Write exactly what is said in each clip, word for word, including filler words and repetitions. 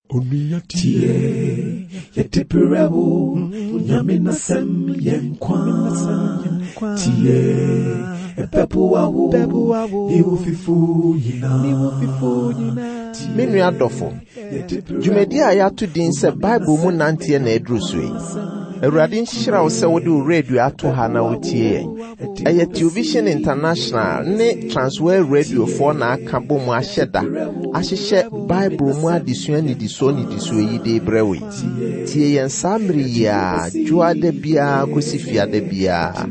Onua tie, yɛde brɛ wo, Nyame n'asɛm yɛ nkwa. Tie, ɛbɛboa wo, ne wo fifo nyinaa. Me nua dɔfo, dwumadi a yɛato din sɛ Bible mu nanteɛ na ɛduru so yi. Awurade nhyira wo sɛ wode wo radio ato ha na wotie yɛn. Ɛyɛ Television International ne Transworld Radiofoɔ na aka bɔ mu ahyɛ da ahyehyɛ Bible mu adesua nnidisoɔ nnidisoɔ yi de brɛ wo yi. Tie yɛn saa mmere yi a dwoada biara kɔsi fiada biara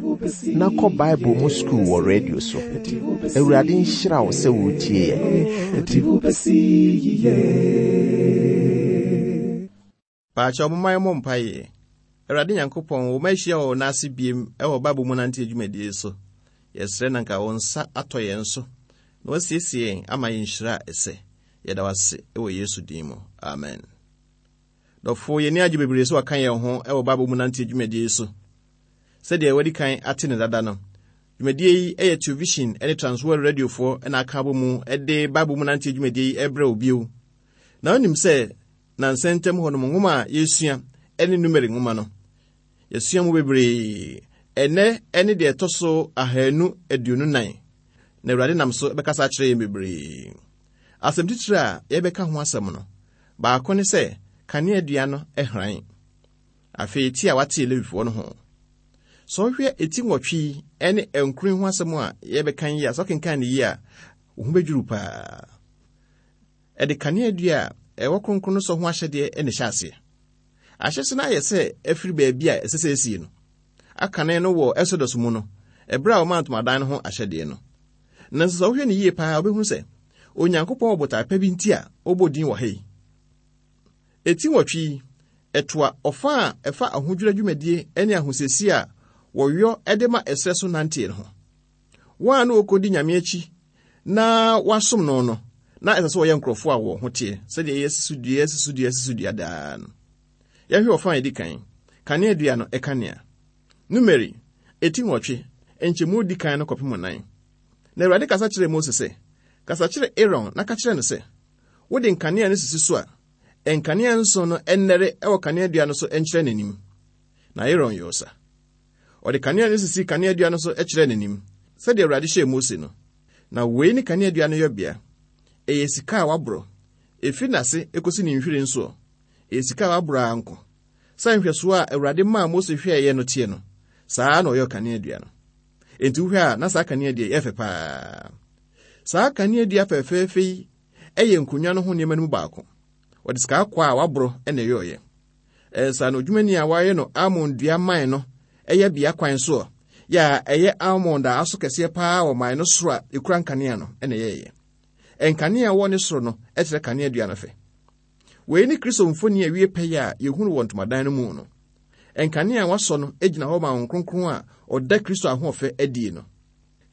na kɔ Bible mu sukuu wɔ radio so. Awurade nhyira wo sɛ wotie yɛn. Ɛde wo bɛsi yiye. Paakyɛw momma yɛmmɔ mpaeɛ. Awurade Nyankopɔn, wo ma ahyia wɔ wo nan ase biem wɔ Bible mu nante adwumadie so. Yɛsrɛ na nka wo nsa atɔ yɛn so na wasiesie yɛn ama yɛn nhyira a ɛsɛ. Yɛda wo ase wɔ Yesu din mu. Amen. Dɔfo, yɛn ani agye bebree sɛ waka yɛn ho wɔ Bible mu nante adwumadie so. Sɛdeɛ wadi kan ate ne dada no, dwumadie yi yɛ Television ne Transworld Radiofoɔ na aka abɔ mu de Bible mu nante adwumadie yi rebrɛ wo bio. Na wonim sɛ nansa ntam hɔ nom nwoma a yɛsua ne Numeri nwoma no, yɛsua mu bebree. Ɛnɛ ne deɛ ɛtɔ so ahanu aduonu nan, na Awurade nam so bɛkasa akyerɛ yɛn bebree. Asɛm titire a yɛbɛka ho asɛm no, baako ne sɛ kaneadua no hran. Afei ti a watee Lewifoɔ no ho. Sɛ wohwɛ eti nwɔtwe yi ne nkron ho asɛm a yɛbɛka yi a, sɛ wokenkan no yie a, wo ho bɛdwiriw paa. Ɛde kaneadua a ɛwɔ kronkron no sɔ ho ahyɛdeɛ na ɛhyɛ aseɛ. Ahyɛse no ayɛ sɛ afiri baabi a ɛsɛ sɛ esie no. Akane no wɔ Exodus mu no, ɛberɛ a wɔmaa ntomadan no ho ahyɛdeɛ no. Nanso sɛ wohwɛ no yie paa, wobɛhunu sɛ Onyankopɔn wɔ botae pa bi nti a ɔbɔ din wɔ ha yi. Eti nwɔtwe yi, ɛtoa ɔfa a ɛfa ahodwira dwumadie ne ahosiesie a wɔyɔ de ma ɛserɛ so nanteɛ no ho. Wɔn a na wɔkɔdi Nyame akyi na wɔasom no no, na ɛsɛ sɛ wɔyɛ nkurɔfoɔ a wɔn ho teɛ, sɛdeɛ yɛsi so dua, yɛsi so dua, yɛsi so dua daa no. Yɛhwɛ ɔfa a yɛdi kan, kaneadua no ɛkanea. Numeri, eti nwɔtwe, nkyɛmu di kan no kɔpem nan. Na Awurade kasa kyerɛɛ Mose sɛ, kasa kyerɛ Aaron na ka kyerɛ no sɛ, wode nkanea no sisi so a, nkanea nson no ɛnnɛre wɔ kaneadua no so nkyerɛ n'anim. Na Aaron yɛɛ sa. Ɔde kanea no sisi kaneadua no so kyerɛ n'anim, sɛdeɛ Awurade hyɛɛ Mose no. Na wei ne kaneadua no yɔbea. Ɛyɛ sika a waborɔ. Ɛfiri n'ase ekosi ne nhwiren soɔ. Ɛyɛ sika a waborɔ ara nko. Sɛ nhwɛsoɔ a Awurade maa Mose hwɛeɛ no teɛ no, saa na ɔyɛɛ kaneadua no. Enti wohwɛ a na saa kaneadua yi ɛyɛ fɛ paa. Saa kaneadua fɛfɛɛfɛ yi ɛyɛ nkonnwa no ho nneɛma no mu baako. Wɔde sika kɔkɔɔ a waborɔ na ɛyɔeɛ. Ɛnsa no odwumani a wayɛ no almond dua man no ɛyɛ bea kwan soɔ, yɛ a ɛyɛ almond a aso kɛseɛ paa wɔ man no soro a ekura nkanea no na ɛyɛeɛ. Nkanea a ɛwɔ ne soro no kyerɛ kaneadua no fɛ. Wei ne Kristo mfoni a ɛwie pɛyɛ a yɛhunu wɔ ntomadan no mu no. Nkanea a wasɔ no gyina hɔ ma Honhom Kronkron a ɔda Kristo ahoɔfɛ adie no.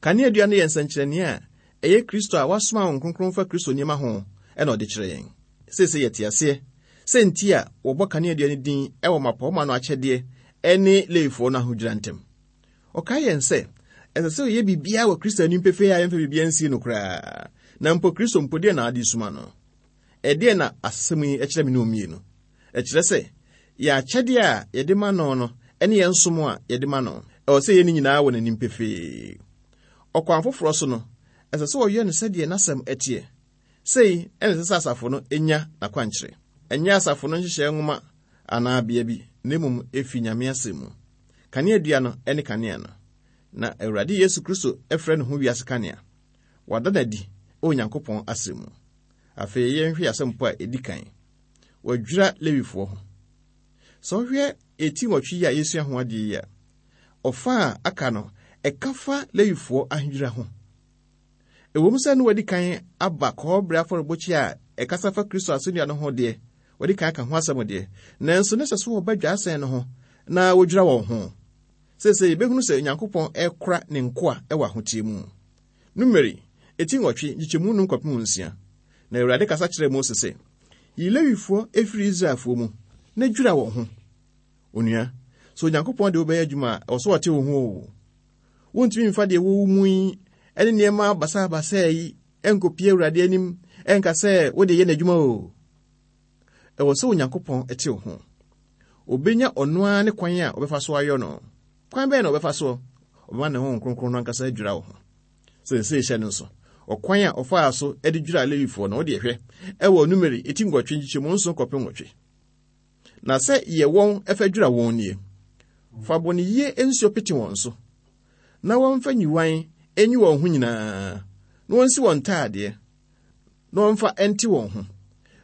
Kaneadua no yɛ nsɛnkyerɛnneɛ a ɛyɛ Kristo a wasoma Honhom Kronkron fa Kristo nneɛma ho na ɔde kyerɛ yɛn. Seesei yɛte aseɛ sɛ nti a wɔbɔ kaneadua no din wɔ mmapɔmma no akyɛdeɛ ne Lewifoɔ no ahodwira ntam. Ɔkae yɛn sɛ ɛsɛ sɛ ɔyɛ biribiara wɔ Kristo anim pefee a yɛmfa biribiara nsie no koraa. Na mpo Kristo mpo deɛ na ade suma no. Ɛdeɛ na asɛm yi kyerɛ me ne mmienu. Ɛkyerɛ sɛ yɛn akyɛdeɛ a yɛde ma no no ne yɛn som a yɛde ma no. Ɛwɔ sɛ yɛn nyinaa wɔ n'anim pefee. Ɔkwan foforɔ so no, ɛsɛ sɛ ɔyɛ no sɛdeɛ n'asɛm ɛteɛ. Sei ɛna ɛsɛ sɛ asafo no nya n'akwankyerɛ. Ɛnyɛ asafo no nhyehyɛe nwoma anaa bea bi, na mmom efi Nyame asɛm mu. Kaneadua no ne kanea no. Na Awurade Yesu Kristo frɛ ne ho wiase kanea. Wada no adi wɔ Onyankopɔn asɛm mu. Afei yɛnhwɛ asɛmpo a ɛdi kan. Wɔadwira Lewifoɔ ho. Sɛ wohwɛ eti nwɔtwe yi a yɛsua ho adeɛ yi a, ɔfa a aka no, ɛka fa Lewifoɔ ahodwira ho. Ɛwom sɛ ne wɔadi kan aba kɔɔbere afɔrebɔkyia a ɛkasa fa Kristo asɛnnua no ho deɛ, wɔde kan aka ho asɛm deɛ, nanso ne sɛ so wɔba dwaasɛn no ho na wɔdwira wɔn ho. Seesei yɛbɛhunu sɛ Onyankopɔn ɛkora ne nkoa ɛwɔ ahoteɛ mu. Numeri, eti nwɔtwe, nkyekyɛmu num kɔpem nsia. Na Awurade kasa kyerɛɛ Mose sɛ, yi Lewifoɔ efiri Israelfoɔ mu na dwira wɔn ho. Onua, sɛ Onyankopɔn de wobɛyɛ adwuma a, ɛwɔ sɛ ɔte wo ho o. Wontumi mfa deɛ ɛwɔ wo mu yi ne nneɛma basabasa yi nkɔpie Awurade anim ɛnka sɛ wode yɛ n'adwuma o. Ɛwɔ sɛ Onyankopɔn te wo ho. Obenya ɔno ara ne kwan a ɔbɛfa so ayɔ no. Kwan bɛn na ɔbɛfa so? Ɔbɛma ne Honhom Kronkron no ankasa adwira wo ho. Seesei hyɛ no nso. Ɔkwan a ɔfaa so de dwiraa Lewifoɔ no, wode hwɛ ɛwɔ Numeri eti nwɔtwe nkyekyɛmu nson kɔpem nwɔtwe. Na sɛ yɛ wɔn ɛfa dwira wɔn nie. Fa bɔneyie nsuo pete wɔn so, na wɔmfa nyiwan enyi wɔn ho nyinaa, na wɔnsi wɔn ntaadeɛ, na wɔmfa nte wɔn ho,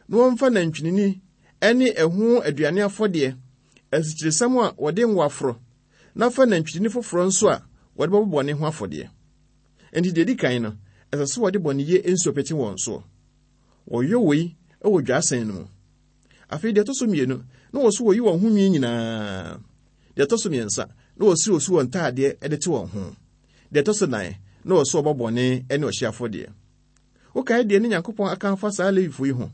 na wɔmfa nantwinini ne ɛho aduane afɔdeɛ, asikyiresiam a wɔde ngo aforo, na fa nantwinini foforɔ nso a wɔde bɛbɔ bɔne ho afɔdeɛ. Enti deɛ edi kan no, ɛsɛ sɛ wɔde bɔneyie nsuo pete wɔn soɔ. Wɔyɔ wei wɔ dwaasɛn no mu. Afei deɛ ɛtɔ so mmienu, na wɔso wɔyi wɔn ho nwi nyinaa. Deɛ ɛtɔ so mmiɛnsa, na wɔsi osu wɔn ntaadeɛ de te wɔn ho. Deɛ ɛtɔ so nan, na wɔso wɔbɔ bɔne ne ɔhye afɔdeɛ. Wokae deɛ ne Nyankopɔn aka afa saa Lewifo yi ho.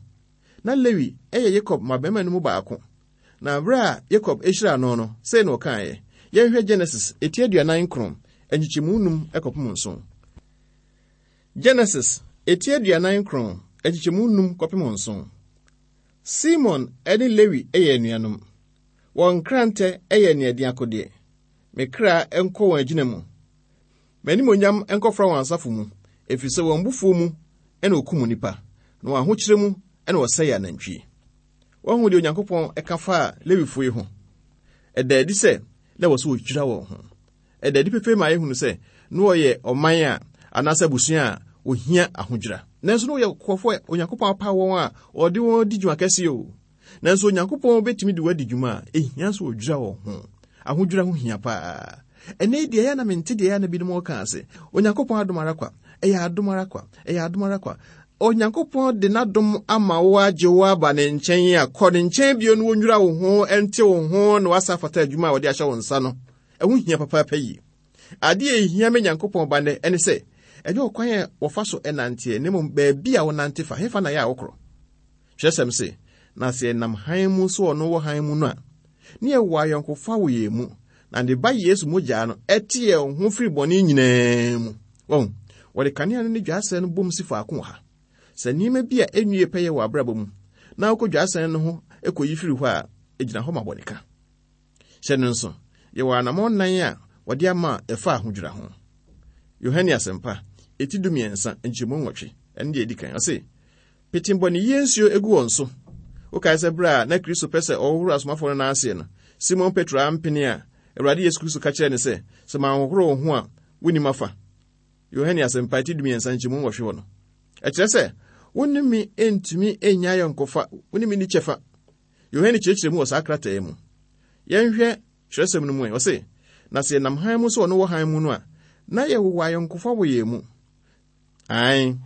Na Lewi yɛ Yakob mmabarima no mu baako. Na bere a Yakob hyiraa no no, sei na ɔkaeɛ. Yɛnhwɛ Genesis eti aduanan nkron, nkyekyɛmu num kɔpem nson. Genesis eti aduanan nkron, nkyekyɛmu num kɔpem nson. Simon ne Lewi yɛ anuanom. Wɔn nkrantɛ yɛ aniɛden akodeɛ. Me kra nkɔ wɔn agyina mu. M'animonyam nkɔfra wɔn asafo mu, ɛfiri sɛ wɔn bufuo mu na wɔkum nnipa, na wɔn ahokyerɛ mu na wɔsɛe anantwie. Wɔahu deɛ Onyankopɔn ka faa Lewifoɔ yi ho. Ɛda adi sɛ na ɛwɔ sɛ wɔdwira wɔn ho. Ɛda adi pefee ma yɛhunu sɛ na wɔyɛ ɔman a anaasɛ abusua a wɔhia ahodwira. Nanso na wɔyɛ nkurɔfoɔ a Onyankopɔn apaw wɔn a ɔde wɔn di dwuma kɛseɛ o. Nanso Onyankopɔn bɛtumi de wɔn adi dwuma a ehia sɛ wɔdwira wɔn ho. Ahodwira ho hia paa. Ɛnnɛ yi deɛ ɛyɛ na mente deɛ ɛyɛ na binom wɔka ase. Onyankopɔn adom ara kwa. Ɛyɛ adom ara kwa. Ɛyɛ adom ara kwa. Onyankopɔn de n'adom ama wo agye wo aba ne nkyɛn a kɔ ne nkyɛn bio na wɔnwira wo ho, ɛnte wo ho na wasa afata adwuma a wɔde ahyɛ wo nsa no. Ɛho hia papaapa yie. Adeɛ a ehia me Nyankopɔn ba nnɛ ɛne sɛ, ɛnyɛ ɔkwan a wɔfa so ɛnanteɛ, na mmom baabi a wonante fa, hefa na yɛ a wokorɔ. Kyerɛsɛm se, na sɛ yɛnam hann mu so ɔno wɔ hann mu no a, ne yɛwɔ ayɔnkofa wɔ yɛn mu, na ne ba Yesu mogya no ɛte yɛn ho firi bɔne nyinaa mu. Wɔn, wɔde kanea no ne dwaasɛn no bom si faako wɔ ha. Sɛ nneɛma bi a ɛnwie pɛyɛ wɔ abrabɔ mu, na wokɔ dwaasɛn no ho kɔyi firi hɔ a, egyina hɔ ma bɔneka. Hyɛ no nso, yɛwɔ anammɔn nan a wɔde ama a ɛfa ahodwira ho. Yohane Asɛmpa, eti dumiɛnsa, nkyɛmu nwɔtwe, ɛno deɛ edi kan. Ɔse, pete bɔneyie nsuo egu wɔn so. Wokae sɛ bere a na Kristo pɛ sɛ ɔhohoro asomafoɔ no nan aseɛ no, Simon Petro ampene a Awurade Yesu Kristo ka kyerɛɛ no sɛ, sɛ manhohoro wo ho a, wonnim afa. Yohane Asɛmpa eti dumiɛnsa nkyɛmu nwɔtwe hɔ no. Ɛkyerɛ sɛ, wo ne me ntumi nnya ayɔnkofa, wo ne me nni kyɛfa. Yohane kyerɛkyerɛ mu wɔ saa krataa yi mu. Yɛnhwɛ kyerɛsɛm no mu ɛ. Ɔse, na sɛ yɛnam hann mu sɛ ɔno wɔ hann mu no a, na yɛwowɔ ayɔnkofa wɔ yɛn mu. Ae,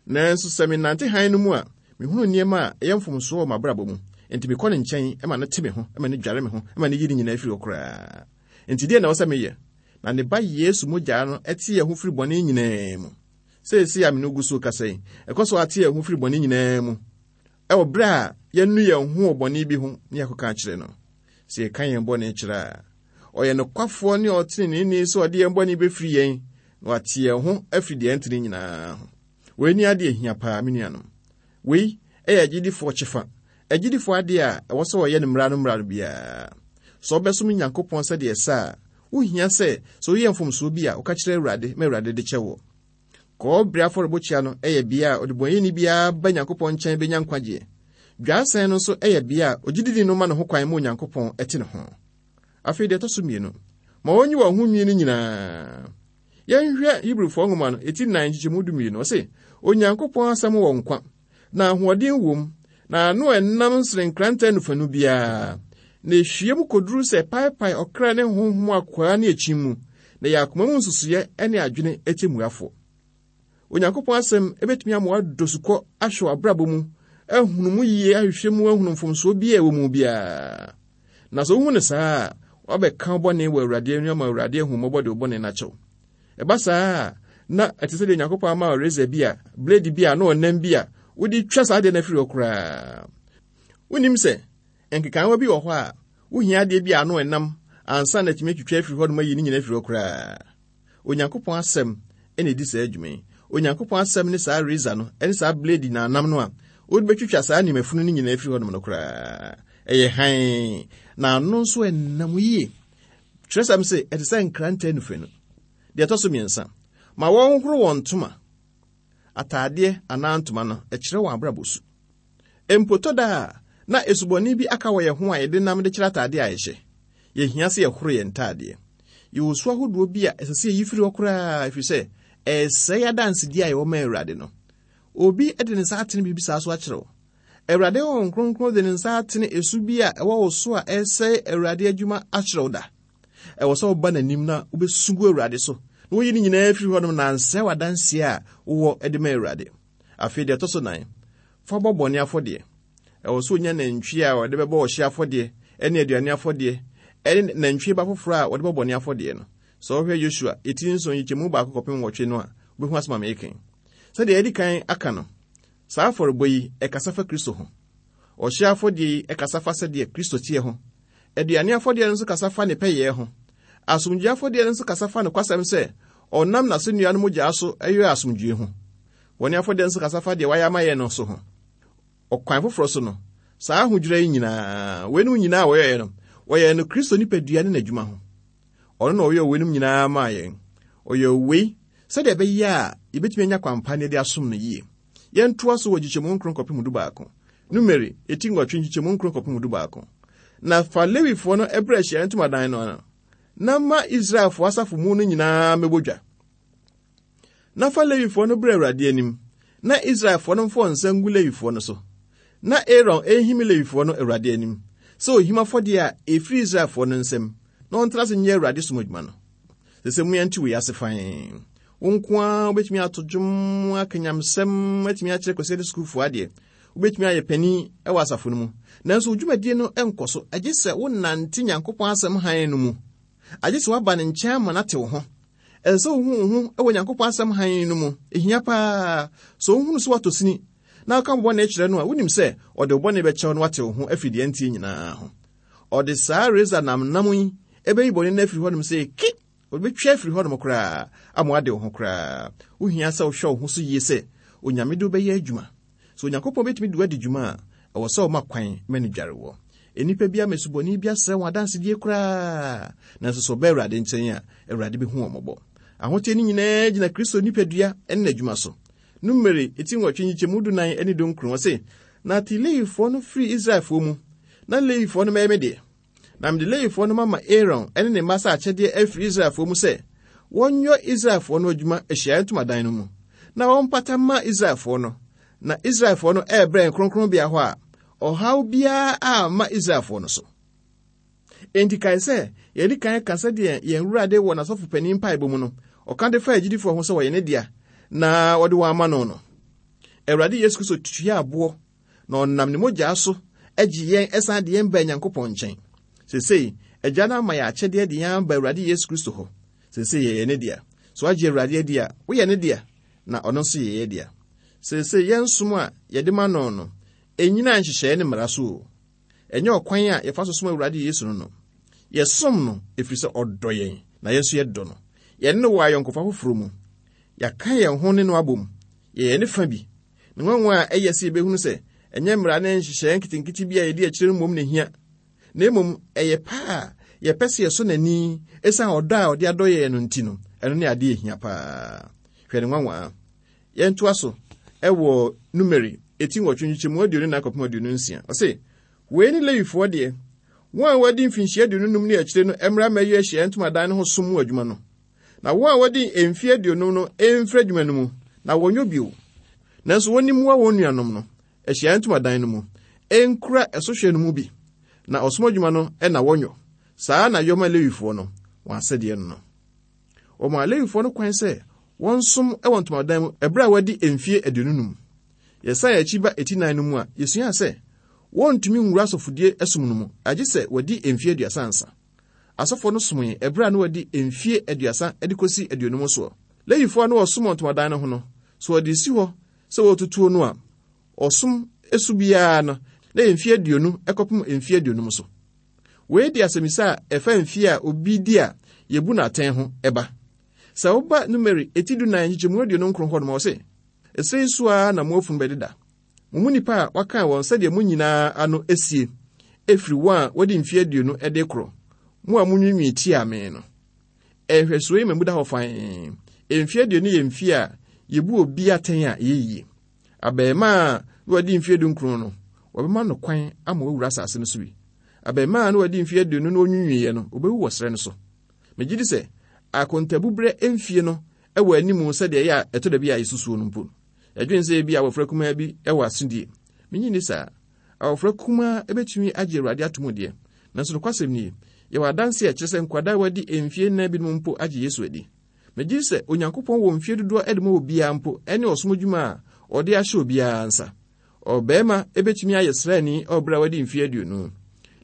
nanso sɛ menante hann no mu a, mehunu nneɛma a ɛyɛ mfomsoɔ wɔ m'abrabɔ mu. Enti mekɔ ne nkyɛn ma no te me ho, ma no dware me ho, ma no yi ne nyinaa firi hɔ koraa. Enti deɛ na ɛwɔ sɛ meyɛ? Na ne ba Yesu mogya no ɛte yɛn ho firi bɔne nyinaa mu. Seesei a me ne wo gu so kasa yi, ɛkɔ so ate yɛn ho firi bɔne nyinaa mu. Ɛwɔ berɛ a yɛnu yɛn ho wɔ bɔne bi ho ne yɛakɔka akyerɛ no. Sɛ yɛka yɛn bɔne kyerɛ a, ɔyɛ nokwafoɔ ne ɔteneneeni sɛ ɔde yɛn bɔne bɛfiri yɛn na wate yɛn ho afiri deɛ ɛntene nyinaa ho. Wei ni adeɛ hia paa, me nuanom. Wei ɛyɛ agyidifoɔ kyɛfa. Agyidifoɔ adeɛ a ɛwɔ sɛ wɔyɛ no mmara no mmara no biara. Sɛ wobɛsom Nyankopɔn sɛdeɛ ɛsɛ a, wohia sɛ sɛ woyɛ mfomsoɔ bi a woka kyerɛ Awurade ma Awurade de kyɛ wo. Kɔɔbere afɔrebɔkyia no ɛyɛ bea a ɔdebɔneyɛni biara ba Nyankopɔn nkyɛn bɛnya nkwagyeɛ. Dwaasɛn no nso ɛyɛ bea a ogyidini no ma ne ho kwan ma Onyankopɔn ɛte ne ho. Afei deɛ ɛtɔ so mmienu, ma wɔnyi wɔn ho nwi no nyinaa. Yɛnhwɛ Hebrifoɔ nwoma no, eti nnan nkyekyɛmu du mmienu. Ɔse, Onyankopɔn asɛm wɔ nkwa, na ahoɔden wom, na ano a ɛnam sene nkrantɛ nufanu biara. Na ehwie mu koduru sɛ paepae ɔkra ne honhom akwaa ne akyi mu, na yɛ akoma mu nsusuiɛ ne adwene atemmuafoɔ. Onyankopɔn asɛm ebetumi ama woadɔ sukɔ ahwɛ w'abrabɔ mu, ahunu mu yie, ahwehwɛ mu, ahunu mfomsoɔ bi a ɛwɔ mu biara. Na sɛ wohu no saa a, woabɛka wo bɔne wɔ Awurade anim ama Awurade ahu mmɔbɔ de wo bɔne no akyɛ wo. Ɛba saa a, na ɛte sɛ deɛ Onyankopɔn ama wo razor bi a, blade bi a, na ɔnam bi a, wode twa saa adeɛ no afiri hɔ koraa. Wonim sɛ, nkekaawa bi wɔ hɔ a, wohia adeɛ bi a ano ɛnam ansa na atumi atwitwa afiri hɔ nom ayi ne nyinaa afiri hɔ koraa. Onyankopɔn asɛm ɛna ɛdi saa adwuma yi. Onyankopɔn asɛm ne saa razor no, ɛne saa blade na anam no a, Wode bɛtwitwa saa nnimafunu no nyinaa afiri hɔnom no koraa. Ɛyɛ hann, na ano nso ɛnam yie. Kyerɛsɛm sɛ ɛte sɛ nkrantɛ nufenu. Deɛ ɛtɔ so mmiɛnsa, ma wɔnhoro wɔn ntoma. Ataadeɛ anaa ntoma no, ɛkyerɛ wɔn abrabɔ su. Mpotɔ da a na esubɔne bi aka wɔ yɛn ho a yɛde nam de kyerɛ ataadeɛ a yɛhyɛ. Yɛhia sɛ yɛhoro yɛn ntaadeɛ. Yɛwɔ su ahodoɔ bi a ɛsɛ sɛ yɛyi firi hɔ koraa, ɛfiri sɛ ɛsɛe adansedie a yɛwɔ ma Awurade no. Obi de ne nsa atene biribi saa so akyerɛ wo. Awurade Honhom Kronkron de ne nsa atene esu bi a ɛwɔ wo so a ɛsɛe Awurade adwuma akyerɛ wo da. Ɛwɔ sɛ woba n'anim na wobɛsu gu Awurade so, na woyi ne nyinaa firi hɔnom na ansɛe w'adanseɛ a wowɔ de ma Awurade. Afei deɛ ɛtɔ so nan, fa bɔ bɔne afɔdeɛ. Ɛwɔ sɛ onya nantwie a wɔde bɛbɔ ɔhye afɔdeɛ ne aduane afɔdeɛ ɛne nantwie ba foforɔ a wɔde bɔ bɔne afɔdeɛ no. Sɛ wohwɛ Yosua eti nson nkyekyɛmu baako kɔpem nwɔtwe no a, wobɛhu asɛm a mereka yi. Sɛdeɛ yɛdi kan aka no, saa afɔrebɔ yi ɛkasa fa Kristo ho. Ɔhye afɔdeɛ yi ɛkasa fa sɛdeɛ Kristo teɛ ho. Aduane afɔdeɛ no nso kasa fa ne pɛyɛɛ ho. Asomdwoe afɔdeɛ no nso kasa fa nokwasɛm sɛ ɔnam n'asennua no mogyaa so ɛyɛ asomdwoe ho. Bɔne afɔdeɛ nso kasa fa deɛ wayɛ ama yɛn no so ho. Ɔkwan foforɔ so no, saa ahodwira yi nyinaa, weinom nyinaa a wɔyɛɛ no, wɔyɛɛ no Kristo nipadua ne n'adwuma ho. Ɔno na ɔyɛɛ weinom nyinaa maa yɛn. Ɔyɛɛ wei sɛdeɛ ɛbɛyɛ a yɛbɛtumi anya kwan pa na yɛde asom no yie. Yɛntoa so wɔ nkyekyɛmu nkron kɔpem du baako. Numeri eti nwɔtwe nkyekyɛmu nkron kɔpem du baako. Na fa Lewifoɔ no ɛbrɛ ahyiaeɛ ntomadan no ano, na ma Israelfoɔ asafo mu no nyinaa mmɛbɔ dwa. Na fa Lewifoɔ no brɛ Awurade anim, na Israelfoɔ no mfa wɔn nsa ngu Lewifoɔ no so. Na Aaron ehim Lewifoɔ no Awurade anim, sɛ ohim afɔdeɛ a ɛfiri Israelfoɔ no nsam, na ɔntena ase nyɛ Awurade som adwuma no. Sɛ sɛ mu yɛnte wei ase fann. Wo nko ara wobɛtumi ato dwom, aka nyamsɛm, atumi akyerɛ Kwasiada sukuufoɔ adeɛ. Wobɛtumi ayɛ panin wɔ asafo no mu. Nanso wo dwumadie no nkɔ so, agye sɛ wonante Nyankopɔn asɛm hann no mu. Agye sɛ woaba ne nkyɛn ama no ate wo ho. Ɛsɛ sɛ wohu wo ho wɔ Nyankopɔn asɛm hann no mu. Ehia paa. Sɛ wohunu sɛ woatɔ sini na woka wo bɔne kyerɛ no a, wonim sɛ ɔde wo bɔne bɛkyɛ wo na wate wo ho afiri deɛ ɛnteɛ nyinaa ho. Ɔde saa reza namnam yi ɛbɛyi bɔne no afiri hɔnom sɛ ki, ɔbɛtwa afiri hɔnom koraa ama wade wo ho koraa. Wohia sɛ wohwɛ wo ho so yie sɛ Onyame de wobɛyɛ adwuma. Sɛ Onyankopɔn bɛtumi de wo adi dwuma a, ɛwɔ sɛ woma kwan ma no dware wɔ. Nnipa bi ama asubɔne bi asrɛ wɔn adansedie koraa, nanso sɛ ɔba Awurade nkyɛn a, Awurade bɛhu wɔn mmɔbɔ. Ahoteɛ no nyinaa gyina Kristo nipadua ne n'adwuma so. Numeri eti nwɔtwe nkyekyɛmu dunan ne dunkron, ɔse, na te Lewifoɔ no firi Israelfoɔ mu, na Lewifoɔ no mɛyɛ me deɛ. Na mede Lewifoɔ no mama Aaron ne ne mma sɛ akyɛdeɛ afiri Israelfoɔ mu sɛ wɔnyɔ Israelfoɔ no adwuma ahyiaeɛ ntomadan no mu, na wɔmpata mma Israelfoɔ no. Na Israelfoɔ no ɛrebrɛ kronkronbea hɔ a, ɔhaw biara amma Israelfoɔ no so. Enti kae sɛ yɛdi kan ka sɛdeɛ yɛn Awurade wɔ n'asɔfo panin mpaebɔ mu no, ɔka de fa agyidifoɔ ho sɛ wɔyɛ ne dea na wɔde wɔn ama no no. Awurade Yesu Kristo tua aboɔ na ɔnam ne mogya so agye yɛn ɛsan de yɛn ba Nyankopɔn nkyɛn. Seesei, Agya no ama yɛn akyɛdeɛ de yɛn aba Awurade Yesu Kristo hɔ. Seesei yɛyɛ ne dea. Sɛ woagye Awurade adi a, woyɛ ne dea, na ɔno nso yɛ yɛn dea. Seesei yɛn som a yɛde ma no no, ɛnnyina nhyehyɛeɛ ne mmara so o. Ɛnyɛ ɔkwan a yɛfa so som Awurade Yesu no no. Yɛsom no ɛfiri sɛ ɔdɔ yɛn, na yɛn nso yɛdɔ no. Yɛne no wɔ ayɔnkofa foforɔ mu. Yɛaka yɛn ho ne no abom. Yɛyɛ ne fa bi. Ne nwanwa a ɛyɛ sɛ yɛbɛhunu sɛ ɛnyɛ mmara ne nhyehyɛeɛ nketenkete bi a yɛdi akyire no mmom na ehia, na mmom ɛyɛ paa a yɛpɛ sɛ yɛsɔ n'ani ɛsiane ɔdɔ a ɔde adɔ yɛn no nti no, ɛno ne adeɛ ehia paa. Hwɛ ne nwanwa. Yɛntoa so ɛwɔ Numeri eti nwɔtwe nkyekyɛmu aduonu nan kɔpem aduonu nsia. Ɔse, wei ne Lewifoɔ deɛ, wɔn a wɔadi mfinhyia aduonu num ne akyire no mmra mmɛyɛ ahyiaeɛ ntomadan no ho som mu adwuma no. Na wɔn a wɔadi mfeɛ aduonum no mfiri adwuma no mu, na wɔnyɛ bio. Nanso wɔnni mmoa wɔn nuanom no ahyiaeɛ ntomadan no mu, ɛnkura ɛsohwɛ no mu bi, na ɔsom adwuma no na wɔnyɔ. Saa na yɔma Lewifoɔ no, wɔn asɛdeɛ no no. Wɔmaa Lewifoɔ no kwan sɛ wɔnsom wɔ ntomadan mu ɛberɛ a wɔadi mfeɛ aduonu num. Yɛsan akyi ba eti nan no mu a, yɛsua sɛ wɔntumi nwura asɔfodie som no mu, agye sɛ wɔadi mfeɛ aduasa ansa. Asɔfoɔ no somee ɛberɛ a na wɔadi mfeɛ aduasa de kɔsi aduonum soɔ. Lewifoɔ a na wɔsom wɔ ntomadan no ho no, sɛ wɔde si hɔ sɛ wɔretutuo no a, ɔsom su biara no, na yɛ mfeɛ aduonu kɔpem mfeɛ aduonum so. Wei de asɛmmisa a ɛfa mfeɛ a obi di a yɛbu no atɛn ho ɛba. Sɛ woba Numeri eti dunan nkyekyɛmu aduonu nkron hɔ nom a, ɔse, ɛsɛ yi so ara na mo afunu bɛdeda. Mo mu nnipa a wɔakan wɔn sɛdeɛ mo nyinaa ano asie, ɛfiri wɔn a wɔde mfeɛ aduonu de korɔ, mo a monwiinwii tiaa me no. Nhwɛsoɔ yi ma mu da hɔ fann. Mfeɛ aduonu yɛ mfeɛ a yɛbu obi atɛn a ɛyɛ yie. Abarimaa a na wadi mfeɛ dunkron no, wɔbɛma no kwan ama wawura asase no so bi. Abarimaa a na wadi mfeɛ aduonu na ɔnwiinwiiɛ no, ɔbɛwu wɔ serɛ no so. Megye di sɛ akontabuberɛ mfie no wɔ anim sɛdeɛ ɛyɛ a ɛtɔ da bi a yɛsusuo no mpo. Yɛdwene sɛ ebi abɔfra kumaa bi wɔ asodie. Menye nni saa. Abɔfra kumaa bɛtumi agye Awurade ato mu deɛ. Nanso nokwasɛm nie, yɛwɔ adanse a ɛkyerɛ sɛ nkwadaa a wɔadi mfeɛ nnan binom mpo agye Yesu adi. Megye di sɛ Onyankopɔn wɔ mfeɛ dodoɔ de ma obiara mpo ne ɔsom adwuma a ɔde ahyɛ obiara nsa. Ɔbarima bɛtumi ayɛ sraani wɔ berɛ a wadi mfeɛ aduonu.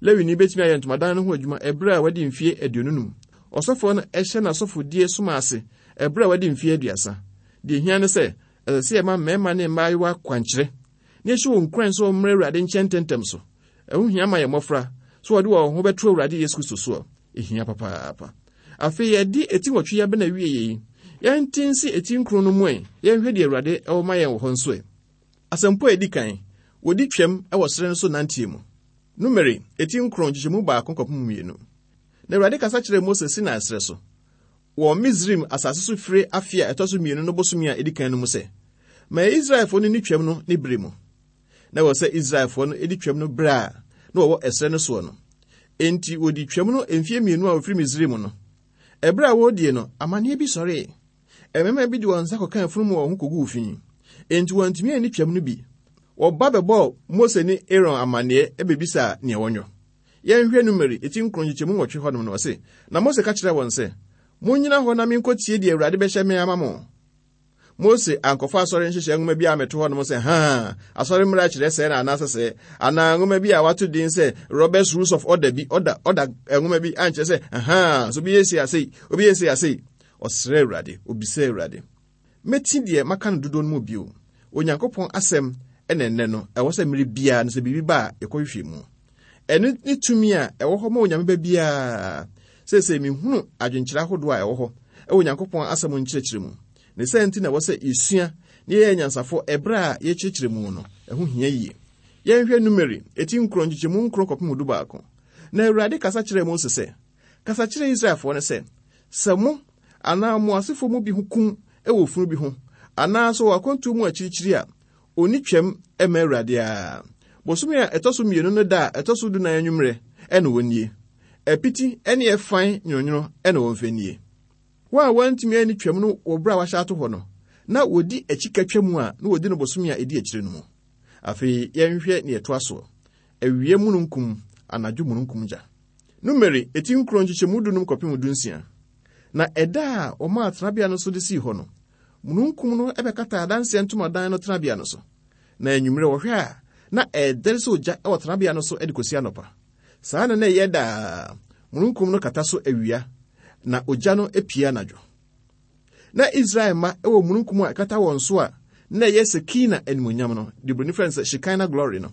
Lewini bɛtumi ayɛ ntomadan no ho adwuma ɛberɛ a wadi mfeɛ aduonu num. Ɔsɔfoɔ no hyɛ n'asɔfodie som ase ɛberɛ a wadi mfeɛ aduasa. Deɛ ehia ne sɛ, ɛsɛ sɛ yɛma mmarima ne mmaayewa kwankyerɛ na yɛhyɛ wɔn nkuran sɛ wɔmmrɛ Awurade nkyɛn ntɛmntɛm so. Ɛho hia ma yɛn mmɔfra sɛ wɔde wɔn ho bɛto Awurade Yesu Kristo soɔ. Ehia papaapa. Afei yɛde eti nwɔtwe yi abɛn awie yi, yɛnte nsi eti nkron no mu ɛ, yɛnhwɛ deɛ Awurade ɛwɔ ma yɛn wɔ hɔ nso ɛ. Asɛmpo a edi kan, wɔdi twam wɔ serɛ no so nanteɛ mu. Numeri, eti nkron nkyekyɛmu baako kɔpem mmienu. Na Awurade kasa kyerɛɛ Mose Sinai serɛ so, wɔ Misraim asase so fire afe a ɛtɔ so mmienu no bosome a edi kan no mu sɛ, ma Israelfoɔ no ni twam no ne bere mu. Na ɛwɔ sɛ Israelfoɔ no di twam no bere a na wɔwɔ ɛserɛ no soɔ no. Enti wɔdi twam no mfeɛ mmienu a wɔfiri Misraim no. Ɛberɛ a wɔredie no, amanneɛ bi sɔree. Mmarima bi de wɔn nsa kɔkaa afunumu wɔ wɔn ho koguu fi. Enti wɔantumi anni twam no bi. Wɔba bɛbɔɔ Mose ne Aaron amanneɛ bebisaa nea wɔnyɔ. Yɛnhwɛ Numeri eti nkron nkyekyɛmu nwɔtwe hɔnom no, ɔse, na Mose ka kyerɛɛ wɔn sɛ, monnyina hɔ na menkɔtie deɛ Awurade bɛhyɛ me ama mo. Mose ankɔfa asɔre nhyehyɛ nwoma bi a meto hɔnom sɛ, haa, asɔre mmara kyerɛ sɛɛ na anaasɛ sɛɛ, anaa nwoma bi a wato din sɛ Robert's Rules of Order bi, ɔda, ɔda nwoma bi ankyerɛ sɛ, haa, so obi yɛ sei asei, obi yɛ sei asei. Ɔsrɛ Awurade, obisa Awurade. Mɛti deɛ maka no dodoɔ no mu bio. Onyankopɔn asɛm ɛna ɛnnɛ no, ɛwɔ sɛ mmere biara no sɛ biribi ba a yɛkɔhwehwɛ mu. Ɛno ne tumi a ɛwɔ hɔ ma Onyame ba biara. Seesei mehunu adwenkyerɛ ahodoɔ a ɛwɔ hɔ ɛwɔ Onyankopɔn asɛm nkyerɛkyerɛ mu. Ne sɛ nti na ɛwɔ sɛ yɛsua na yɛyɛ nyansafoɔ ɛberɛ a yɛkyerɛkyerɛ mu no, ɛho hia yie. Yɛnhwɛ Numeri, eti nkron nkyekyɛmu nkron kɔpem du baako. Na Awurade kasa kyerɛɛ Mose sɛ, kasa kyerɛ Israelfoɔ no sɛ, sɛ mo anaa mo asefoɔ mu bi ho kum wɔ funu bi ho, anaa sɛ wɔ akwantuo mu akyirikyiri a, onni twam mma Awurade a. Bosome a ɛtɔ so mmienu no da a ɛtɔ so dunan anwummerɛ ɛna wɔnnie. Apiti ne ɛfan nwononwono ɛna wɔmfa nnie. Wɔn a wɔantumi anni twam no wɔ berɛ a wɔahyɛ ato hɔ no, na wɔdi akyi ka twam a na wɔdi no bosome a ɛdi akyire no mu. Afei yɛnhwɛ nea ɛtoa soɔ. Awia mununkum, anadwo mununkum gya. Numeri, eti nkron nkyekyɛmu dunum kɔpem dunsia. Na ɛda a wɔmaa tenabea no so de sii hɔ no, mununkum no bɛkataa adanseɛ ntomadan no tenabea no so. Na anwummerɛ wɔhwɛ a, na ɛredɛre sɛ ogya wɔ tenabea no so de kɔsi anɔpa. Saa na na ɛyɛ daa. Mununkum no kata so awia, na ogya no pue anadwo. Na Israel mma wɔ mununkum a ɛkata wɔn so a na ɛyɛ Sekina animuonyam no, deɛ Buroni frɛ no sɛ Shekinah glory no.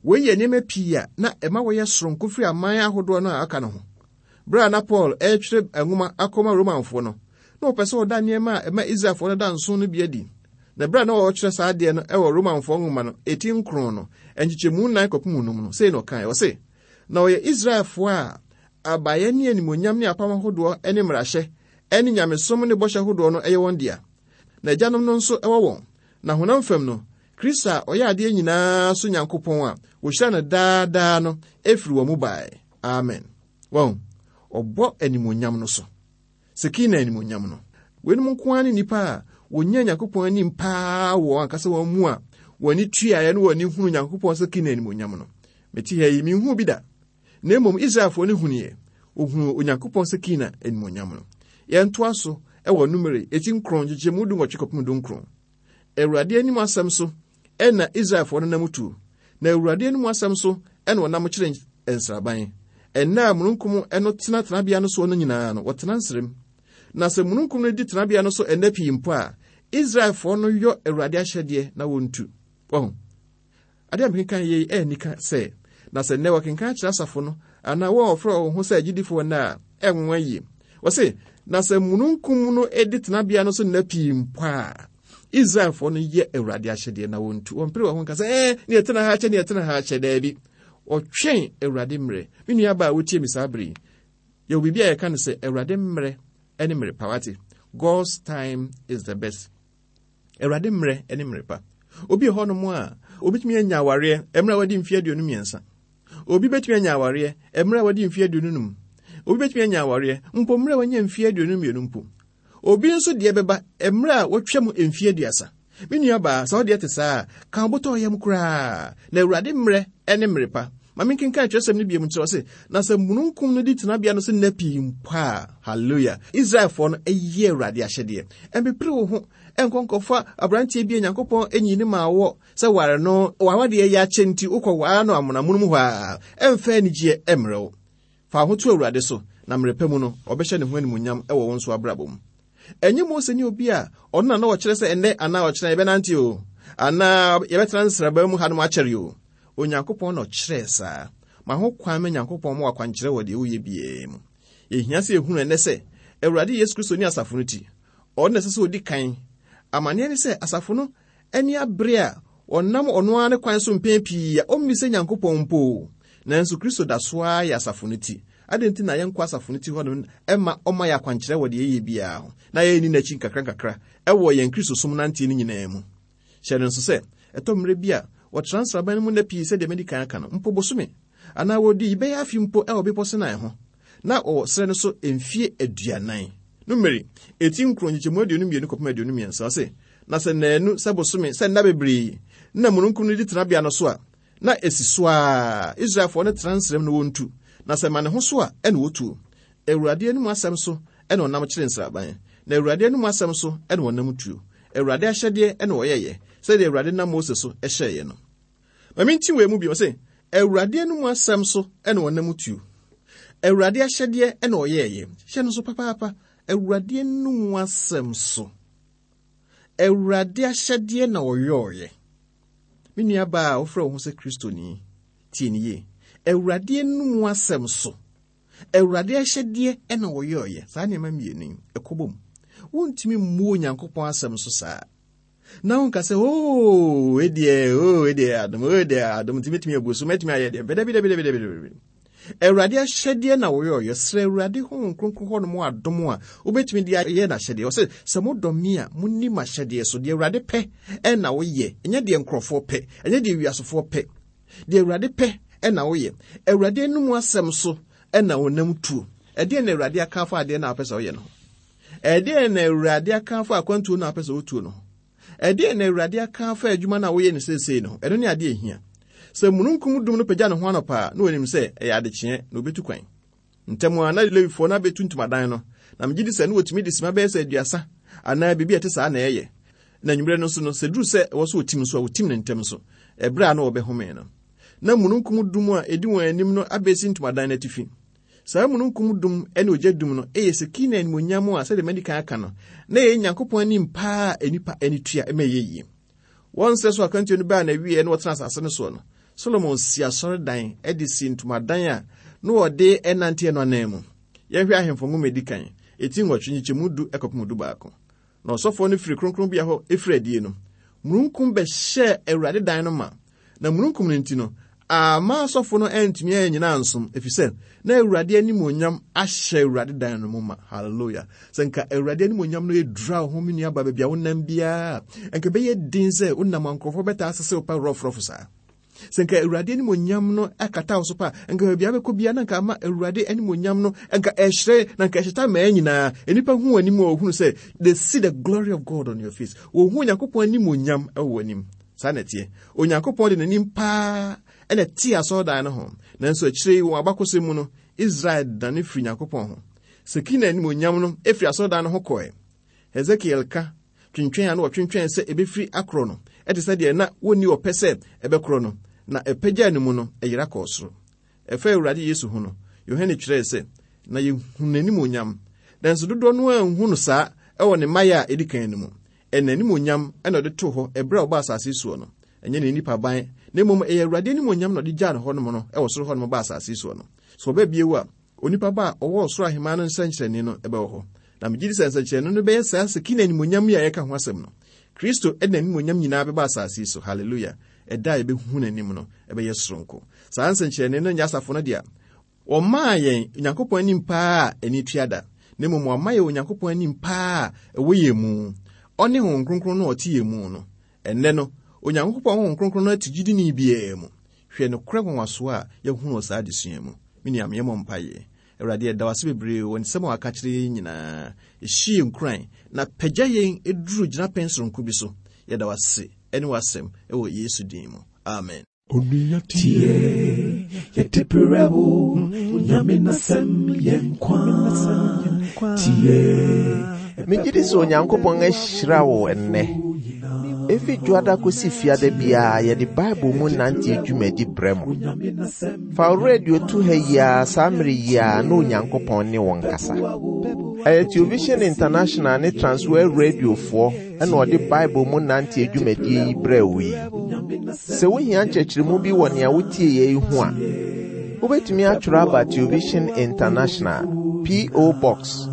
Wei yɛ nneɛma pii a na ɛma wɔyɛ soronko firi aman ahodoɔ no a aka no ho. Berɛ a na Paul ɛretwerɛ nwoma akɔma Romanfoɔ no, na ɔpɛ sɛ ɔda nneɛma a ɛma Israelfoɔ no da nson no bi adi. Na berɛ a na ɔretwerɛ saa adeɛ no wɔ Romanfoɔ nwoma no, eti nkron no, nkyekyɛmu nnan kɔpem num no, sei na ɔkae, ɔse, na ɔyɛ Israelfoɔ a abayɛ ne animuonyam ne apam ahodoɔ ne mmarahyɛ ne nyamesom ne bɔhyɛ ahodoɔ no yɛ wɔn dea. Na agyanom no nso wɔ wɔn. Na honam fam no, Kristo a ɔyɛ adeɛ nyinaa so Nyankopɔn a wɔhyira no daa daa no efiri wɔn mu bae. Amen. Wɔn, ɔbɔ animuonyam no so. Sekina animuonyam no. Weinom nko ara ne nnipa a wɔnya Nyankopɔn anim paa wɔ ankasa wɔn mu a wɔn ani tuaeɛ ne wɔn ani hunu Nyankopɔn Sekina animuonyam no. Mete ha yi, menhuu bi da. Na mmom Israelfoɔ no hunuiɛ. Wɔhunuu Onyankopɔn Sekina animuonyam no. Yɛntoa so wɔ Numeri eti nkron nkyekyɛmu du nwɔtwe kɔpem du nkron. Awurade anim asɛm so ɛna Israelfoɔ no nam tuo. Na Awurade anim asɛm so ɛna wɔnam kyerɛ nsraban. Ɛnna a mununkum no tena tenabea no soɔ no nyinaa no, wɔtena nsram. Na sɛ mununkum no di tenabea no so ɛnna pii mpo a, Israelfoɔ no yɔ Awurade ahyɛdeɛ na wɔntu. Wɔho. Adeɛ a mekenkan yei ɛyɛ nika sɛ, na sɛ nnɛ wɔkenkan kyerɛ asafo no, anaa wɔn a wɔfrɛ wɔn ho sɛ agyidifoɔ nnɛ a, ɛnwanwa yie. Wɔse, na sɛ mununkum no di tenabea no so nna pii mpo a, Israelfoɔ no yɛ Awurade ahyɛdeɛ na wɔntu. Wɔmpere wɔn ho nka sɛ, ɛɛ, ne yɛtena ha akyɛ, ne yɛtena ha akyɛ, daabi. Ɔtwɛn Awurade mmerɛ. Me nua baa a wotie me saa bere yi, yɛwɔ biribi a yɛka no sɛ Awurade mmerɛ ne mmerɛ pa, wate? God's time is the best. Awurade mmerɛ ne mmerɛ pa. Obi wɔ hɔnom a, obetumi anya awareɛ mmerɛ a wadi mfeɛ aduonu mmiɛnsa. Obi betumi anya awareɛ mmerɛ a wadi mfeɛ aduonu num. Obi betumi anya awareɛ mpo mmerɛ a wanya mfeɛ aduonu mmienu mpo. Obi nso deɛ bɛba mmerɛ a watwa mu mfeɛ aduasa. Me nua baa, sɛ ɔdeɛ te saa a, ka wobotɔ yam koraa. Na Awurade mmerɛ ne mmerɛ pa. Ma menkenkan kyerɛsɛm no bio nkyerɛ sɛ, na sɛ mununkum no di tenabea no so nna pii mpo a, hallelujah, Israelfoɔ no yɛ Awurade ahyɛdeɛ. Ɛmpepere wo ho ɛnkɔ nkɔfa aberanteɛ bi a Nyankopɔn anyi ne ma wɔ sɛ ware no, wawadeɛ yɛ akyɛ nti wokɔ waa no amonamono mu hɔ a, ɛmfa anigyeɛ ɛmmerɛ wo. Fa wo ho to Awurade so, na mmerɛ pa mu no, ɔbɛhyɛ ne ho animuonyam ɛwɔ wo nso abrabɔ mu. Ɛnyɛ Mose ne obi a ɔno na na ɔkyerɛ sɛ ɛnnɛ anaa ɔkyerɛ yɛbɛnante o, anaa yɛbɛtena nsraban mu hanom akyɛre o. Onyankopɔn na ɔkyerɛɛ saa. Ma ho kwan ma Nyankopɔn ma wakwankyerɛ wɔ deɛ woyɛ biara mu. Yɛhia sɛ yɛhunu ɛnnɛ sɛ Awurade Yesu Kristo ne asafo no ti. Ɔno na ɛsɛ sɛ ɔdi kan. Amanneɛ ne sɛ asafo no ani abere a ɔnam ɔno ara ne kwan so mpɛn pii a ɔmmisa Nyankopɔn mpo. Nanso Kristo da so ara yɛ asafo no ti. Adɛn nti na yɛnkɔ asafo no ti hɔ no ɛma ɔma yɛ akwankyerɛ wɔ deɛ yɛyɛ biara ho, na yɛnni n'akyi nkakra nkakra ɛwɔ yɛn Kristosom nanteɛ no nyinaa mu. Hyɛ no nso sɛ ɛtɔ mmerɛ bi a wɔtra nsraban no mu nna pii sɛdeɛ madi kan aka no, mpo bosome anaa wɔdi bɛyɛ afe mpo ɛwɔ bepɔ Sinai ho, na wɔwɔ serɛ no so mfie aduanan. Numeri eti nkron nkyekyɛmu aduonu mmienu kɔpem aduonu mmiɛnsa ɔse, na sɛ nnaanu sɛ bosome sɛ nna bebree na mununkum no di tenabea no so a, na esi so a Israelfoɔ no tena nsram no wɔntu, na sɛ ma ne ho so a ɛna wɔtuo. Awurade anom asɛm so ɛna ɔnam kyerɛ nsraban, na Awurade anom asɛm so ɛna ɔnam tuo. Awurade ahyɛdeɛ ɛna ɔyɛyɛ, sɛdeɛ Awurade nam Mose so ɛhyɛeɛ no. Ma menti wei mu bio, ɔse, Awurade anom asɛm so ɛna ɔnam tuo. Awurade ahyɛdeɛ ɛna ɔyɛyɛ. Hyɛ no so papaapa. Awurade anom asɛm so. Awurade ahyɛdeɛ na ɔyɔɔyɛ. Me nua baa a wofrɛ wo ho sɛ Kristoni, tie ne yie. Awurade anom asɛm so. Awurade ahyɛdeɛ ɛna ɔyɔɔyɛ. Saa nneɛma mmienu yi, ɛkɔ bom. Wontumi mmu Onyankopɔn asɛm so saa. Na wonka sɛ, oo, ɛdeɛ, oo, ɛdeɛ adom, oo, ɛdeɛ adom, nti mɛtumi abu so, mɛtumi ayɛ deɛ. Dabi, dabi, dabi, dabi, dabi. Awurade ahyɛdeɛ na wɔyɔɔyɛ. Srɛ Awurade Honhom Kronkron hɔ nom adom a wobɛtumi de ayɛ n'ahyɛdeɛ. Ɔsɛ, sɛ modɔ me a, monni m'ahyɛdeɛ so. Deɛ Awurade pɛ ɛna woyɛ. Ɛnyɛ deɛ nkurɔfoɔ pɛ, ɛnyɛ deɛ wiasefoɔ pɛ. Deɛ Awurade pɛ ɛna woyɛ. Awurade anom asɛm so ɛna ɔnam tuo. Ɛdeɛn na Awurade aka afa adeɛ na wopɛ sɛ woyɛ no ho? Ɛdeɛn na Awurade aka afa akwantuo na wopɛ sɛ wotuo no ho? Ɛdeɛn na Awurade aka afa adwuma na woyɛ no seesei no ho? Ɛno ne adeɛ ehia. Sɛ mununkum dum no pagya ne ho anɔpa a, na wɔnim sɛ ɛyɛ adekyeɛ na obetu kwan. Ntɛm a na Lewifoɔ no abɛtu ntomadan no, na megye di sɛ na wɔtumi de sima bɛyɛ sɛ aduasa anaa biribi a ɛte saa na ɛyɛ. Na anwummerɛ no nso no, sɛ duru sɛ ɛwɔ so wɔtim nso a, wɔtim no ntɛm nso, ɛberɛ a na wɔbɛhome no. Na mununkum dum a ɛdi wɔn anim no abɛsi ntomadan no atifi. Saa mununkum dum ne ogya dum no ɛyɛ Sekina animuonyam a sɛdeɛ madi kan aka no, na ɛyɛ Nyankopɔn anim paa a nnipa ani tua ma ɛyɛ yie. Wɔn nsɛ so akwantuo no baa n'awieɛ na wɔtena asase no soɔ no, Solomon si asɔredan de si ntomadan a na wɔde ɛnanteɛ no anan mu. Yɛnhwɛ Ahemfo nwoma edi kan, eti nwɔtwe nkyekyɛmu du kɔpem du baako. Na ɔsɔfoɔ no firi kronkronbea hɔ efiri adie no, mununkum bɛhyɛɛ Awurade dan no ma. Na mununkum no nti no, amma asɔfo no antumi annyina ansom, efisɛ na Awurade animuonyam ahyɛ Awurade dan no mu ma. Hallelujah. Sɛ nka Awurade animuonyam no edura wo ho, me nua ba, baabi a wonam biara, nka ɛbɛyɛ den sɛ wonam a nkurɔfoɔ bɛtaa asese wo pa rɔfrɔfo saa. Sɛ nka Awurade animuonyam no akata wo so pa, nka baabi a wobɛkɔ biara na nka ama Awurade animuonyam no, nka ɛhyerɛn, na nka ɛhyeta mmaa nyinaa. Nnipa hu w'anim a wɔhunu sɛ they see the glory of God on your face. Wɔhu Onyankopɔn animuonyam wɔ w'anim. Saa na ɛteɛ. Onyankopɔn de n'anim paa ɛna ɛte asɔredan no ho. Nanso akyire yi wɔn abakɔsɛm mu no, Israel dane firi Nyankopɔn ho. Sekina animuonyam no efiri asɔredan no ho kɔɛ. Hesekiel ka twentwɛn a na wɔtwentwɛn sɛ ebefiri akorɔ no, ɛte sɛ deɛ na wɔnni ɔpɛ sɛ ɛbɛkorɔ no, na ɛpagyaa ne mu no, ɛyera kɔɔ soro. Ɛfa Awurade Yesu ho no, Yohane kyerɛɛ sɛ, na yɛhu n'animuonyam. Nanso dodoɔ no anhu no saa ɛwɔ ne mmaeɛ a ɛdi kan no mu. Ɛna animuonyam ɛna ɔde too hɔ ɛberɛ a ɔbaa asase soɔ no. Ɛnyɛ ne nipa ban, na mmom ɛyɛ Awurade animuonyam na ɔde gyaa no hɔnom no ɛwɔ soro hɔnom baa asase soɔ no. Sɛ ɔba bio a, onipa ba a ɔwɔ ɔsoro ahemman no nsɛnkyerɛnne no ɛbɛwɔ hɔ. Na megye di sɛ nsɛnkyerɛnne no bɛyɛ saa Sekina animuonyam yi a yɛka ho asɛm no. Kristo ɛde n'animonyam nyinaa bɛba asase yi so. Halleluya! Ɛda a yɛbɛhu n'anim no, ɛbɛyɛ soronko. Saa nsɛnkyerɛnne no nyɛ asafo no dea. Wɔmaa yɛn Onyankopɔn anim paa a ani tua da, na mmom wɔama yɛn Onyankopɔn anim paa a ɛwɔ yɛn mu. Ɔne Honhom Kronkron no a ɔte yɛn mu no. Ɛnnɛ no, Onyankopɔn Honhom Kronkron no ate gyidini biara mu. Hwɛ nokorɛ nwanwasoɔ a yɛahunu wɔ saa adesua mu. Me nua, yɛmmɔ mpaeɛ. Awurade, yɛda wo ase bebree wɔ nsɛm a waka kyerɛ yɛn nyinaa. Ɛhyi yɛn nkuran na pagya yɛn duru gyinapɛn soronko bi so. Yɛda wo ase ne w'asɛm wɔ Yesu din mu. Amen. Onua tie, yɛde brɛ wo, Onyame n'asɛm yɛ nkwa. Tie. Megye di sɛ Onyankopɔn ahyira wo ɛnnɛ. Efi dwoada kosi fiada biara yɛde Bible mu nante dwumadi brɛ mo. Fa wo radio to ha yi ara saa mmere yi ara na Onyankopɔn ne wo nkasa. Ɛyɛ Television International ne Transworld Radiofoɔ ɛna ɔde Bible mu nante dwumadie yi brɛ wo yi. Sɛ wohia nkyerɛkyerɛmu bi wɔ nea wotie yɛ yi ho a, wobɛtumi atwerɛ aba Television International, P O. Box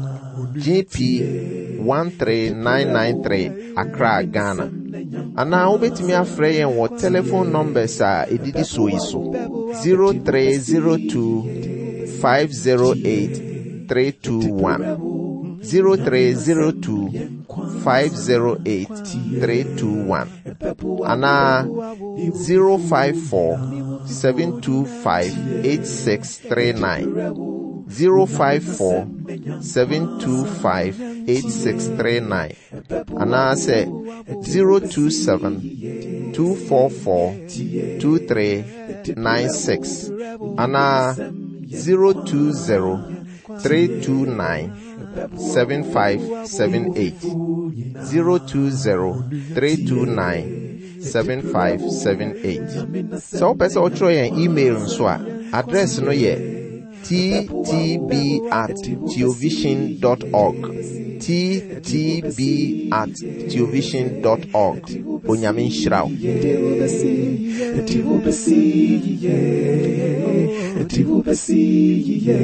G P one three nine nine three, Accra, Ghana. Anaa wobɛtumi afrɛ yɛn wɔ telephone numbers a ɛdidi soɔ yi so: zero three zero two five zero eight three two one, zero three zero two five zero eight three two one, anaa zero five four seven two five eight six three nine, zero five four seven two five eight six three nine, anaasɛ zero two seven two four four two three nine six, anaa zero two zero three two nine seven five seven eight, zero two zero three two nine seven five seven eight. Sɛ wopɛ sɛ wotwerɛ yɛn email nso a, address no yɛ T T B at theovision dot org, T T B at theovision dot org. Onyame nhyira wo. Yɛde wobɛsi, yɛde wobɛsi yiye, yɛde wobɛsi yiye.